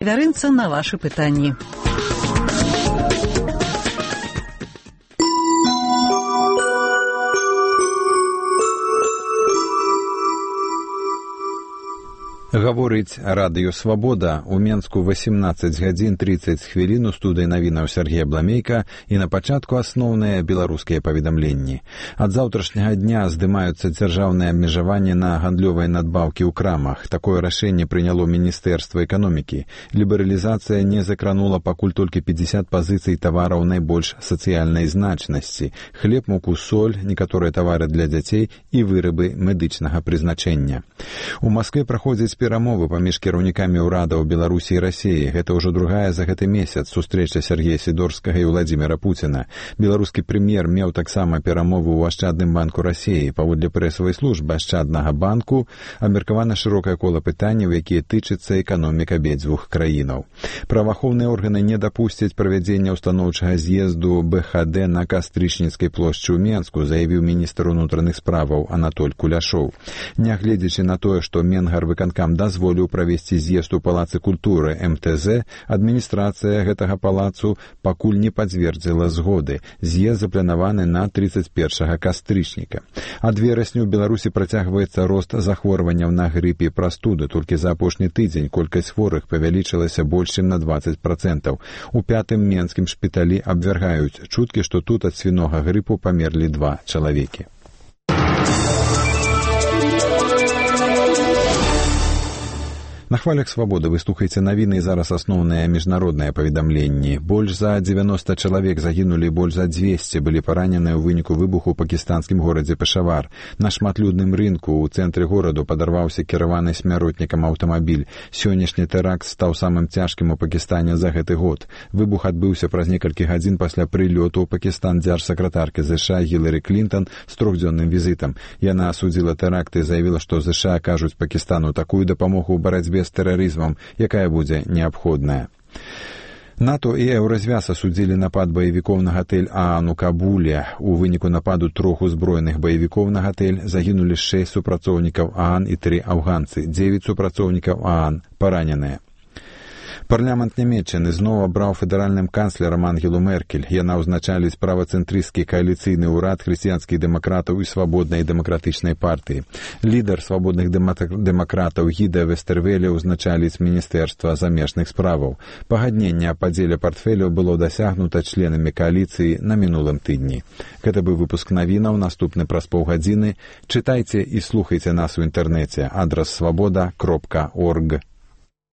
Вярынца на ваши пытанні. Гаворыць радыё «Свабода». У Менску 18 гадзін 30 хвілін у студыі навінаў Сергей Бламейка і на пачатку асноўныя беларускія паведамленні. Ад заўтрашняга дня здымаюцца дзяржаўныя абмежаванні на гандлёвыя надбаўкі ў крамах. Такое рашэнне прыняло Міністэрства эканомікі. Лібералізацыя не закранула пакуль толькі 50 пазіцый тавараў найбольш сацыяльнай значнасці: хлеб, муку, соль, некаторыя тавары для дзяцей і вырабы медычнага прызначэння. У Маскве праходзіць перамовы паміж кіраўнікамі ўрадаў Беларусі і Расіі. Гэта ўжо другая за гэты месяц сустрэча Сергея Сідорскага і Владзіміра Пуціна. Беларускі прэм'ер меў таксама перамовы ў Ашчадным банку Расіі. Паводле прэсавай службы Ашчаднага банку абмеркавана шырокае кола пытанняў, якія тычацца эканомік абедзвюх краінаў. Праваахоўныя органы не дапусцяць правядзення ўстаноўчага з'езду БХД на Кастрычніцкай плошчы ў Менску, заявіў міністр унутраных справаў Анатоль Куляшоў. Нягледзячы на тое, што Менгарвыканкам дазволіў правесці з'езд у Палацы культуры МТЗ, адміністрацыя гэтага палацу пакуль не пацвердзіла згоды. З'езд запланаваны на 31 кастрычніка. Ад верасня ў Беларусі працягваецца рост захворванняў на грып і прастуды. Толькі за апошні тыдзень колькасць хворых павялічылася больш чым на 20%. У 5-м менскім шпіталі абвяргаюць чуткі, што тут ад свінога грыпу памерлі 2 чалавекі. На хвалях «Свабоды» вы слухаеце навіны і зараз асноўныя міжнародныя паведамленні. Больш за 90 чалавек загінулі, больш за 200 былі параненыя ў выніку выбуху ў пакістанскім горадзе Пешавар. На шматлюдным рынку ў цэнтры гораду падарваўся кіраваны смяротнікам аўтамабіль. Сённяшні тэракт стаў самым цяжкім у Пакістане за гэты год. Выбух адбыўся праз некалькі гадзін пасля прылёту ў Пакістан дзяржсакратаркі ЗША Гілары Клінтон з 3-дзённым візітам. Яна асудзіла тэракт і заявіла, што ЗША акажуць Пакістану такую дапамогу ў барацьбе з тэрарызмам, якая будзе неабходная. НАТО і Еўразвяз асудзілі напад баевікоў на гатэль ААН у Кабуле. У выніку нападу 3 узброеных баевікоў на гатэль загінулі 6 супрацоўнікаў ААН і 3 афганцы. 9 супрацоўнікаў ААН параненыя. Парламент Нямецчыны зноў абраў федэральным канцлерам Ангелу Меркель. Яна ўзначаліць правацэнтрысцкі кааліцыйны ўрад хрысціянскіх дэмакратаў і свабоднай дэмакратычнай партыі. Лідар свабодных дэмакратаў Гіда Вестэрвеле ўзначаліць Міністэрства замежных справаў. Пагадненне аб падзеле партфеляў было дасягнута членамі кааліцыі на мінулым тыдні. Гэта быў выпуск навінаў, наступны праз паўгадзіны. Чытайце і слухайце нас у інтэрнэце. Адрас свабода.орг.